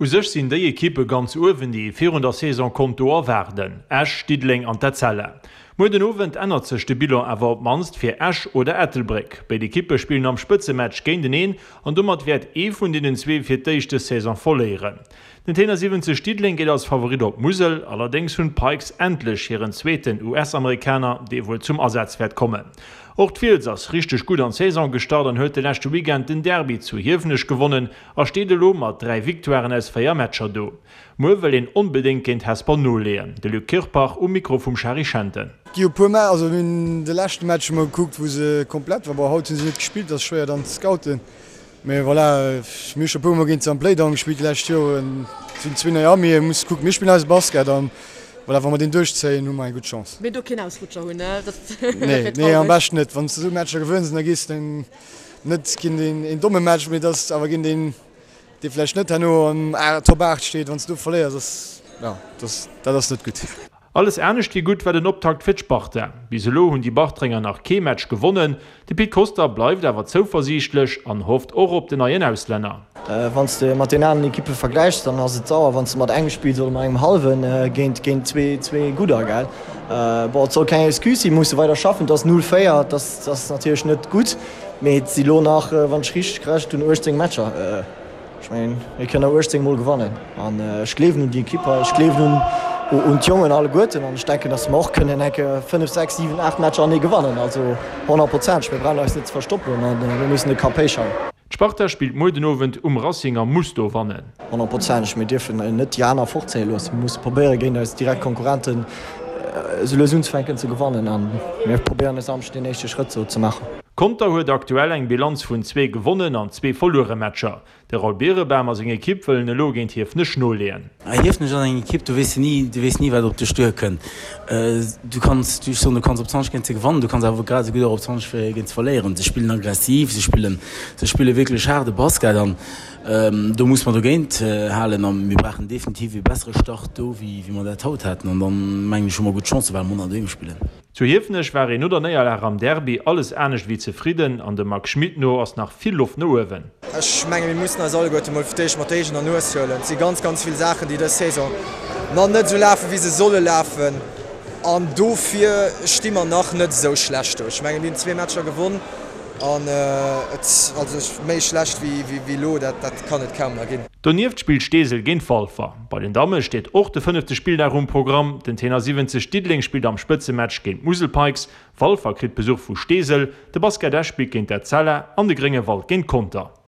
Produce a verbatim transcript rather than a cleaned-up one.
U sech sinn déi Ekippe ganz uewen, déi ee virun der Saison konnt do erwaarden, Esch, Diddeleng an d'Etzella. Muer den Owend ännert sech de Bilan awer op d'mannst fir Esch oder Ettelbréck. Béid Ekippe spillen am Spëtzematch géinteneen an domat wäert ee vun deenen zwee fir d'éischt dës Saison verléieren. Den Tenor siwwenzeg Diddeleng geet als Favorit op d'Musel, allerdéngs hunn d'Pikes endlech hiren zweeten U S-Amerikaner, dee wuel zum Asaz wäert kommen. Och d'Fiels ass richteg gutt an d'Saison gestart an huet de leschte Weekend den Derby zu Hiefenech gewonnen a steet elo mat dräi Victoiren aus véier Matcher do. Muer wëll een onbedéngt géint Hesper noleeën. De Luc Kirpach um Mikro vum Shari Schenten. Gi e puer Mä also mir hunn de leschte Match emol gekuckt, wou se komplett war. Bon, haut hu se net gespillt, ass schwéier dann ze scouten. Mee voilà, mir hu scho e puer Mol géint se am Playdown gespillt déi lescht Joren. Et sinn zwee nei Arméeë, muss kucken. Mir spillen eise Basket an voilà, wa mer deen duerchzéien, hu mer eng gutt Chance. Mee do keen Ausrutscher hunn, ne? Dat Nee, wär nee, am traureg. beschten net. Wann s de esou Matcher gewënns, da gees de net géint een, een domme Match, mee dass awer géint een, dee vläicht net herno an Top aacht steet, wann s de do verléiers, ass, jo, dass, dat ass net gutt. Alles anescht wéi gutt war den Optakt fir d'Sparta. Bis elo hunn déi Bartrenger nach kee Match gewonnen. De Pit Koster bleift awer zouversiichtlech an hofft och op den neien Auslänner. Wann s de mat den aneren Ekippe vergläichs, dann ass et sauer, wann s de mat engem spills oder mat engem hallwen géint géint zwee zwee gudder, gell. Bon, et soll keng Excuse sinn, mir musse weider schaffen. Et ass null véier, dat ass natierlech net gutt, mee et si lo nach, wann ech richteg gerechent hunn, uechtzéng Matcher. Ech mengen, mir kënnen der uechtzéng mol gewannen an ech gleewen un déi Ekipp hei, ech gleewen un un d'Jongen alleguerten an ech denken, datt mer och kënnen enke fënnef, sechs, siwen, aacht Matcher anee gewannen. Also honnertprozenteg, mir brauchen eis net ze verstoppen an mir mussen de Kapp héich halen. D'Sparta spillt muer den Owend um Racing a muss do wannen. Honnertprozenteg, mir dierfen net déi aner fortzéie loossen. Mir musse probéieren, géint eis direkt Konkurrenten esou lues unzefänken ze gewannen a mir probéieren e Samschden deen éischte Schrëtt ze maachen. Conter huet aktuell eng Bilanz vun zwee gewonnen an zwee verluere Matcher. De Raoul Birenbaum a seng Ekipp wëllen elo géint Hiefenech noleeën. Hiefenech ass eng Ekipp, do weess de ni, du weess ni wat op dech duerkënnt. Du kanns, ech soen, du kanns op zwanzeg géint se gewannen, du kanns awer grad esou gutt och op zwanzeg géint se verléieren. Se spillen aggressiv, se spillen, se spille wierklech haarde Basket an do muss mer dogéint halen a mir brauchen definitiv ee bessere Start do wéi mer dat haut haten an dann mengen ech hu mer gutt Chancen, well mer manner doheem spillen. Zu Hiefenech war een no der Néierlag am Derby alles anescht wéi zefridden an dem Marc Schmit no ass nach vill Loft no uewen. Ech menge mir mussen eis alleguerte mol fir d'éischt mat der eegener Nues huelen. Et si ganz, ganz vill Saachen, déi dës Saison nach net esou lafen, wéi se solle lafen an dofir sti mer nach net esou schlecht do. Ech menge mir hunn zwee Matcher gewonn an et, also méi schlecht wéi wéi elo, dat dat kann et kaum nach ginn. Donieft spillt Steesel géint Walfer. Bei den Damme steet och de fënnefte Spilldag um Programm. Den Tenor siwwenzeg Diddeleng spillt am Spëtzematch géint d'Musel Pikes. Walfer kritt Besuch vu Steesel. De Basket Esch spillt géint d'Etzella an de Gréngewald géint Conter.